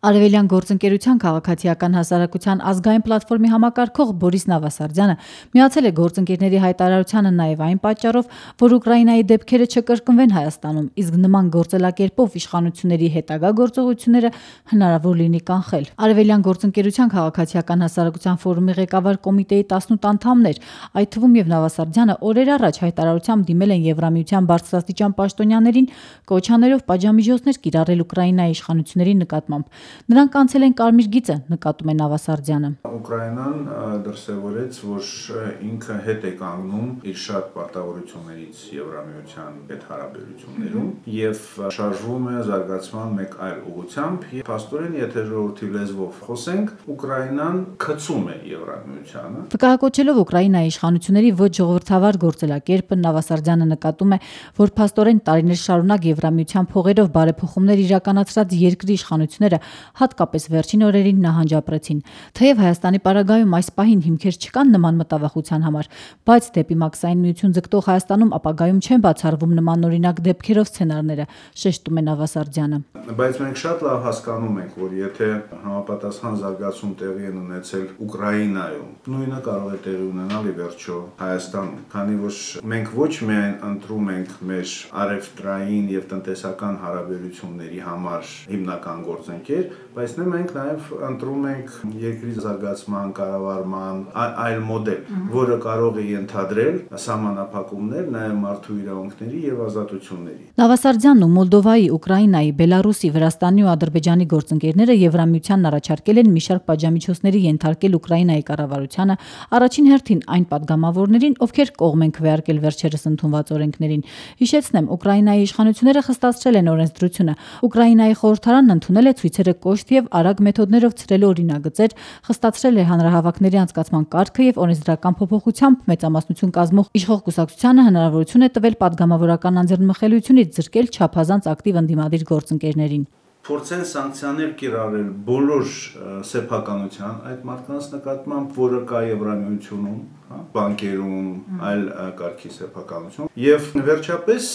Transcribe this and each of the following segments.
Արևելյան գործընկերության քաղաքացիական հասարակության ազգային պլատֆորմի համակարգող Բորիս Նավասարդյանը միացել է գործընկերների հայտարարությանը նաև այն պատճառով, որ Ուկրաինայի դեպքերը չկրկնվեն Հայաստանում, իսկ նման գործելակերպով իշխանությունների հետագա գործողությունները հնարավոր լինի կանխել։ Արևելյան գործընկերության քաղաքացիական հասարակության ֆորումի ղեկավար կոմիտեի 18 անդամներ, այդ թվում եւ Նավասարդյանը օրեր առաջ հայտարարությամբ դիմել են Եվրամիության բարձրաստիճան պաշտոնյաներին կոչանելով պատժամիջոցներ կիրառել Ուկրաինայի իշխանությունների նկատմամբ։ Նրանք անցել են կարմիր գիծը, նկատում է Նավասարդյանը։ Ուկրաինան դրսևորեց, որ ինքը հետ է կանգնում իր շատ պարտավորություններից Եվրամիության հետ հարաբերություններում եւ շարժվում է զարգացման մեկ այլ ուղղությամբ։ Փաստորեն, եթե ժողովրդի լեզվով խոսենք, Ուկրաինան քցում է Եվրամիությանը։ Վկայակոչելով Ուկրաինայի իշխանությունների ոչ ժողովրդավար գործելակերպը, Նավասարդյանը նկատում է, որ փաստորեն տարիներ շարունակ Եվրամիության փողերով բարեփոխումներ իրականացրած երկրի իշխանությունները հատկապես վերջին օրերին նահանջապրեցին։ Թեև Հայաստանի պարագայում այս պահին հիմքեր չկան նման մտավախության համար, բայց դեպի մաքսային միություն ձգտող Հայաստանում ապագայում չեն բացառվում նմանօրինակ դեպքերով սցենարները, շեշտում է Նավասարդյանը։ Բայց մենք շատ լավ հասկանում ենք, որ եթե համապատասխան զարգացում տեղի են ունեցել Ուկրաինայում, նույնը կարող է տեղի ունենալ ի վերջո Հայաստանում, քանի որ մենք ոչ միայն ընտրում ենք մեր առևտրային եւ տնտեսական հարաբերությունների համար հիմնական գործընկեր, բայց մենք նաև ընտրում ենք երկրի զարգացման, կառավարման այլ մոդել, որը կարող է ենթադրել սահմանափակումներ նաև մարդու իրավունքների եւ ազատությունների։ Նավասարդյանն ու Մոլդովայի, Ուկրաինայի, Բելարուսի, Վրաստանի ու Ադրբեջանի գործընկերները Եվրամիությանն առաջարկել են մի շարք պատժամիջոցների ենթարկել Ուկրաինայի կառավարությանը, առաջին հերթին այն падգամավորներին, ովքեր կողմ են քվեարկել վերջերս ընդունված օրենքներին։ Հիշեցնեմ, Ուկրաինայի իշխանությունները խստացրել են օրենսդրությունը։ Ուկրաինայի խորհրդարանն ընդունել է ցույցերը կոշտ եւ արագ մեթոդներով ցրելու օրինագծեր, խստացրել է հանրահավաքների անցկացման կարգը եւ օրենսդրական փոփոխությամբ մեծամասնություն կազմող իշխող կուսակցությանը հնարավորություն է տվել падգամավորական անձեռնմխելիությունից զրկել չափազանց ակտիվ ընդդիմադիր գործընկերներին։ Փորձեն սանկցիաներ կիրառել բոլոր սեփականության այդ մարդկանց նկատմամբ, որը կա Եվրամիությունում, բանկերում, այլ կարգի սեփականություն, եւ վերջապես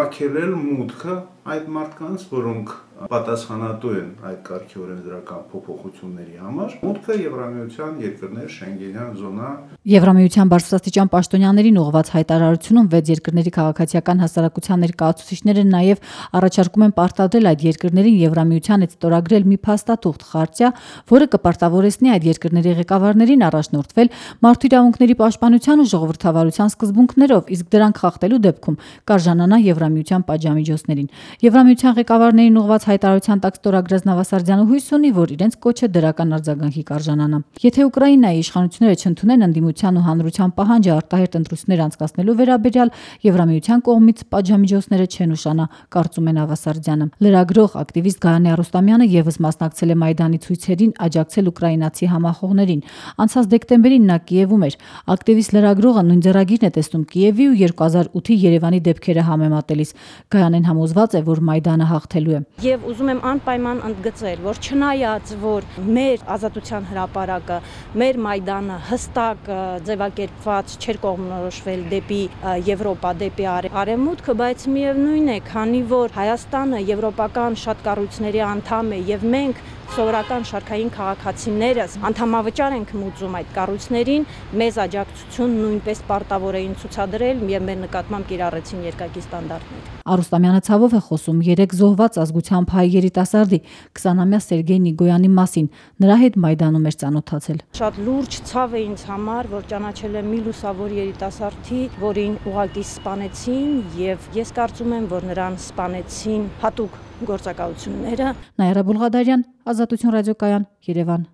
արգելել մուտքը այդ մարդկանց, որոնք պատասխանատու են այդ կարգի օրենսդրական փոփոխությունների համար, մուտքը Եվրամիության երկրներ, Շենգենյան զոնա։ Եվրամիության բարձրաստիճան պաշտոնյաներին ուղղված հայտարարությունում 6 երկրների քաղաքացիական հասարակության ներկայացուցիչները նաև առաջարկում են պարտադրել այդ երկրներին Եվրամիության հետ ստորագրել մի փաստաթուղթ խարտիա, որը կպարտավորեցնի այդ երկրների ղեկավարներին առաջնորդվել մարդու իրավունքների պաշտպանության ու ժողովրդավարության սկզբունքներով, իսկ դրանք խախտելու դեպքում կարժանանա Եվրամիության պատժամիջոցներին։ Եվրամիության ղեկավարներին ուղղված հայտարարության տակ ստորագրած Նավասարդյանը հույս ունի, որ իրենց կոչը դրական արձագանքի կարժանանա։ Եթե Ուկրաինայի իշխանությունները չընդունեն ընդդիմության ու հանրության պահանջը արտահերթ ընտրություններ անցկացնելու վերաբերյալ, Եվրամիության կողմից պատժամիջոցները չեն ուշանա, կարծում է Նավասարդյանը։ Լրագրող ակտիվիստ Գայանե Արուստամյանը եւս մասնակցել է Մայդանի ցույցերին, աջակցել ուկրաինացի համախոհներին։ Անցած դեկտեմբերին նա Կիևում էր։ Ակտիվիստ լրագրողը նույն ձեռագիրն է տեսնում Կիևի ու 2008-ի Երևանի դեպքերը համեմատելիս։ Գայանեն համոզված է, որ Մայդանը հաղթելու է։ Եվ ուզում եմ անպայման ընդգծել, որ չնայած որ մեր ազատության հրապարակը, մեր Մայդանը հստակ ձևակերպված չէր կողմնորոշվել դեպի Եվրոպա, դեպի արևմուտքը, բայց միևնույն է, քանի որ Հայաստանը եվրոպական շատ կառույցների անդամ է եւ մենք սովորական շարքային քաղաքացիներս անդամավճար ենք մուծում այդ կառույցներին, մեզ աջակցություն նույնպես պարտավոր էին ցուցադրել եւ մեր նկատմամբ կիրառեցին երկակի ստանդարտներ։ Արուստամյանը ցավով է խոսում 3 զոհված ազգությամբ հայ երիտասարդի 20-ամյա Սերգեյ Նիգոյանի մասին, նրա հետ Մայդանում էր ծանոթացել։ Շատ լուրջ ցավ է ինձ համար, որ ճանաչել եմ մի լուսավոր երիտասարդի, որին ուղղակի սպանեցին եւ ես կարծում եմ, որ նրան սպանեցին հատուկ գործակալությունները։ Նաիրա Բուլղադարյան, Ազատություն ռադիոկայան, Երևան։